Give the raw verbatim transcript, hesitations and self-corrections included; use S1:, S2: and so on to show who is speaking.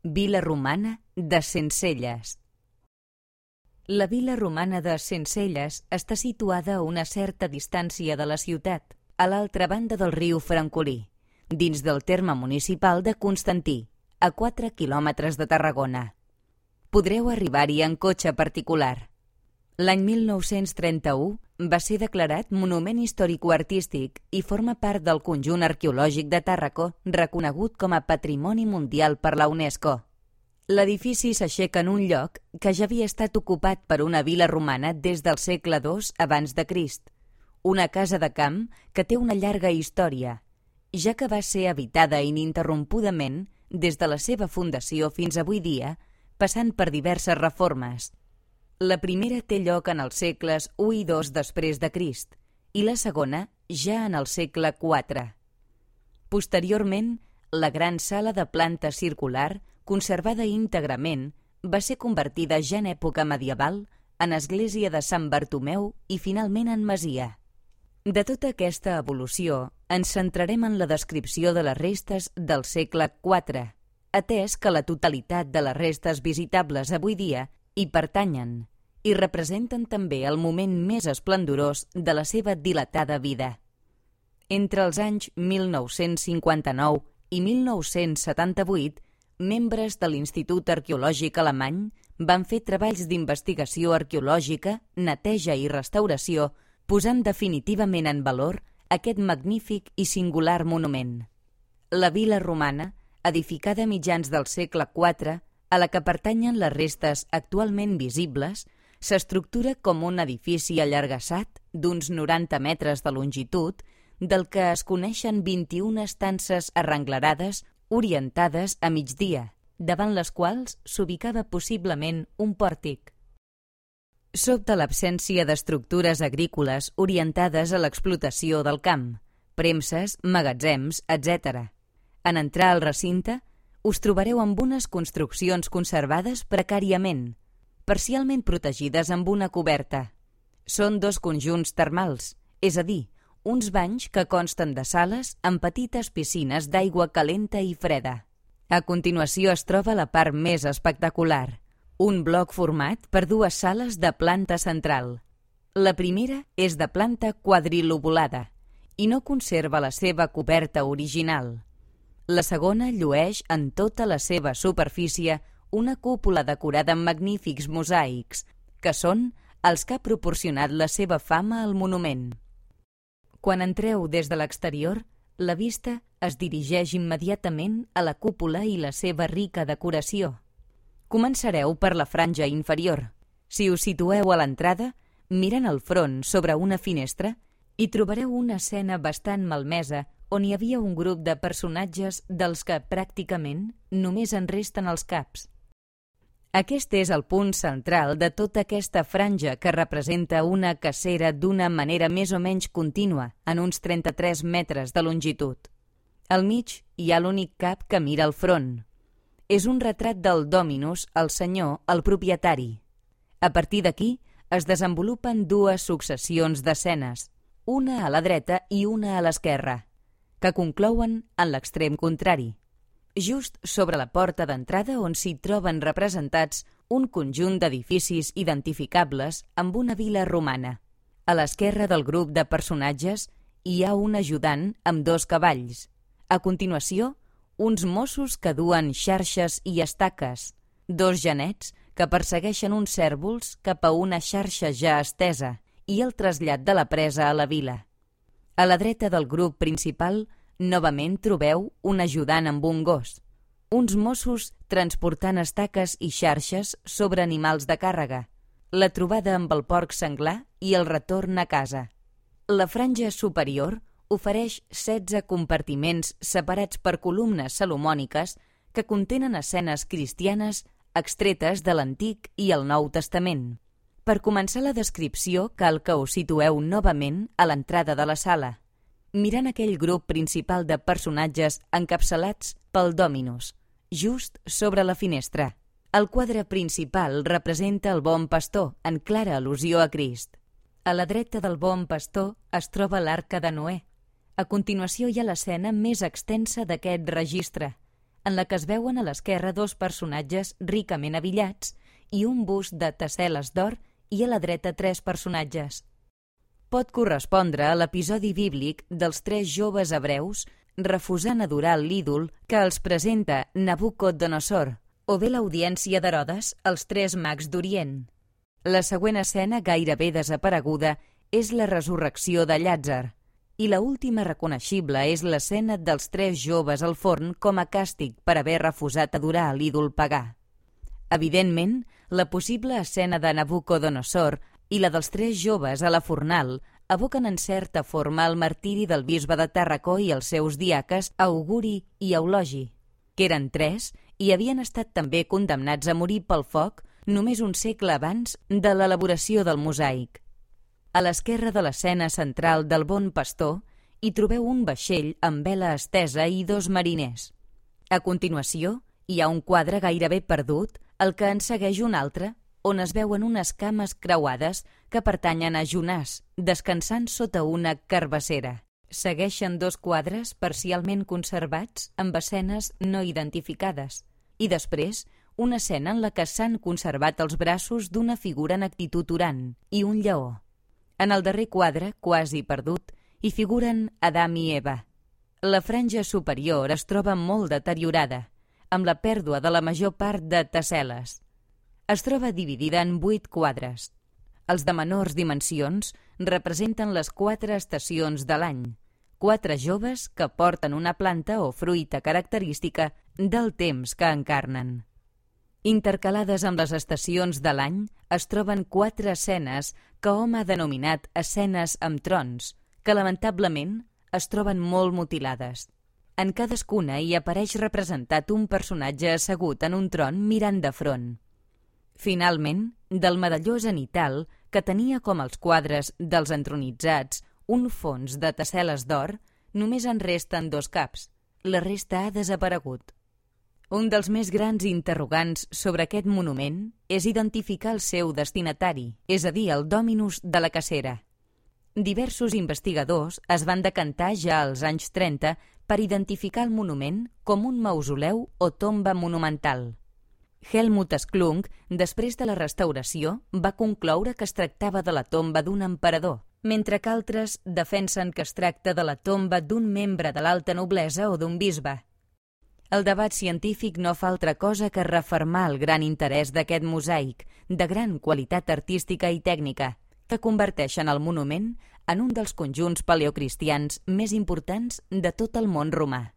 S1: Vila romana de Sencelles. La vila romana de Sencelles està situada a una certa distància de la ciutat, a l'altra banda del riu Francolí, dins del terme municipal de Constantí, a quatre quilòmetres de Tarragona. Podreu arribar-hi en cotxe particular. L'any mil nou-cents trenta-u va ser declarat Monument Històrico-Artístic i forma part del conjunt arqueològic de Tàrraco, reconegut com a Patrimoni Mundial per la UNESCO. L'edifici s'aixeca en un lloc que ja havia estat ocupat per una vila romana des del segle dos abans de Crist, una casa de camp que té una llarga història, ja que va ser habitada ininterrompudament des de la seva fundació fins avui dia, passant per diverses reformes. La primera té lloc en els segles u i dos després de Crist i la segona ja en el segle quatre. Posteriorment, la gran sala de planta circular, conservada íntegrament, va ser convertida ja en època medieval en església de Sant Bartomeu i finalment en masia. De tota aquesta evolució, ens centrarem en la descripció de les restes del segle quatre, atès que la totalitat de les restes visitables avui dia hi pertanyen i representen també el moment més esplendorós de la seva dilatada vida. Entre els anys mil nou-cents cinquanta-nou i mil nou-cents setanta-vuit, membres de l'Institut Arqueològic Alemany van fer treballs d'investigació arqueològica, neteja i restauració, posant definitivament en valor aquest magnífic i singular monument. La vila romana, edificada a mitjans del segle quatre, a la que pertanyen les restes actualment visibles, s'estructura com un edifici allargassat d'uns noranta metres de longitud, del que es coneixen vint-i-una estances arrenglerades orientades a migdia, davant les quals s'ubicava possiblement un pòrtic. Sobta l'absència d'estructures agrícoles orientades a l'explotació del camp, premses, magatzems, etcètera. En entrar al recinte, us trobareu amb unes construccions conservades precàriament, parcialment protegides amb una coberta. Són dos conjunts termals, és a dir, uns banys que consten de sales amb petites piscines d'aigua calenta i freda. A continuació es troba la part més espectacular, un bloc format per dues sales de planta central. La primera és de planta quadrilobulada i no conserva la seva coberta original. La segona llueix en tota la seva superfície una cúpula decorada amb magnífics mosaics, que són els que ha proporcionat la seva fama al monument. Quan entreu des de l'exterior, la vista es dirigeix immediatament a la cúpula i la seva rica decoració. Començareu per la franja inferior. Si us situeu a l'entrada, mirant al front sobre una finestra, hi trobareu una escena bastant malmesa on hi havia un grup de personatges dels que pràcticament només en resten els caps. Aquest és el punt central de tota aquesta franja que representa una cacera d'una manera més o menys contínua en uns trenta-tres metres de longitud. Al mig hi ha l'únic cap que mira al front. És un retrat del Dominus, el senyor, el propietari. A partir d'aquí es desenvolupen dues successions d'escenes, una a la dreta i una a l'esquerra, que conclouen en l'extrem contrari, just sobre la porta d'entrada on s'hi troben representats un conjunt d'edificis identificables amb una vila romana. A l'esquerra del grup de personatges hi ha un ajudant amb dos cavalls. A continuació, uns Mossos que duen xarxes i estaques, dos genets que persegueixen uns cérvols cap a una xarxa ja estesa i el trasllat de la presa a la vila. A la dreta del grup principal, novament trobeu un ajudant amb un gos, uns Mossos transportant estaques i xarxes sobre animals de càrrega, la trobada amb el porc senglar i el retorn a casa. La franja superior ofereix setze compartiments separats per columnes salomòniques que contenen escenes cristianes extretes de l'Antic i el Nou Testament. Per començar la descripció cal que us situeu novament a l'entrada de la sala, mirant aquell grup principal de personatges encapçalats pel Dominus, just sobre la finestra. El quadre principal representa el bon pastor, en clara al·lusió a Crist. A la dreta del bon pastor es troba l'arca de Noè. A continuació hi ha l'escena més extensa d'aquest registre, en la que es veuen a l'esquerra dos personatges ricament abillats i un bust de tessel·les d'or i a la dreta tres personatges. Pot correspondre a l'episodi bíblic dels tres joves hebreus refusant adorar l'ídol que els presenta Nabucodonosor, o bé l'audiència d'Herodes, els tres mags d'Orient. La següent escena, gairebé desapareguda, és la resurrecció de Llàtzer, i la última reconeixible és l'escena dels tres joves al forn com a càstig per haver refusat adorar l'ídol pagà. Evidentment, la possible escena de Nabucodonosor i la dels tres joves a la fornal evoquen en certa forma el martiri del bisbe de Tàrraco i els seus diaques Auguri i Eulogi, que eren tres i havien estat també condemnats a morir pel foc només un segle abans de l'elaboració del mosaic. A l'esquerra de l'escena central del Bon Pastor hi trobeu un vaixell amb vela estesa i dos mariners. A continuació, hi ha un quadre gairebé perdut, el que en segueix un altre, on es veuen unes cames creuades que pertanyen a Jonàs, descansant sota una carbassera. Segueixen dos quadres parcialment conservats amb escenes no identificades, i després una escena en la que s'han conservat els braços d'una figura en actitud orant i un lleó. En el darrer quadre, quasi perdut, hi figuren Adam i Eva. La franja superior es troba molt deteriorada, amb la pèrdua de la major part de tessel·les. Es troba dividida en vuit quadres. Els de menors dimensions representen les quatre estacions de l'any, quatre joves que porten una planta o fruita característica del temps que encarnen. Intercalades amb les estacions de l'any es troben quatre escenes que hom ha denominat escenes amb trons, que lamentablement es troben molt mutilades. En cadascuna hi apareix representat un personatge assegut en un tron mirant de front. Finalment, del medalló zenital, que tenia com els quadres dels entronitzats un fons de tessel·les d'or, només en resten dos caps. La resta ha desaparegut. Un dels més grans interrogants sobre aquest monument és identificar el seu destinatari, és a dir, el Dominus de la cacera. Diversos investigadors es van decantar ja als anys trenta per identificar el monument com un mausoleu o tomba monumental. Helmut Sklunk, després de la restauració, va concloure que es tractava de la tomba d'un emperador, mentre que altres defensen que es tracta de la tomba d'un membre de l'alta noblesa o d'un bisbe. El debat científic no fa altra cosa que refermar el gran interès d'aquest mosaic, de gran qualitat artística i tècnica, que converteixen el monument en un dels conjunts paleocristians més importants de tot el món romà.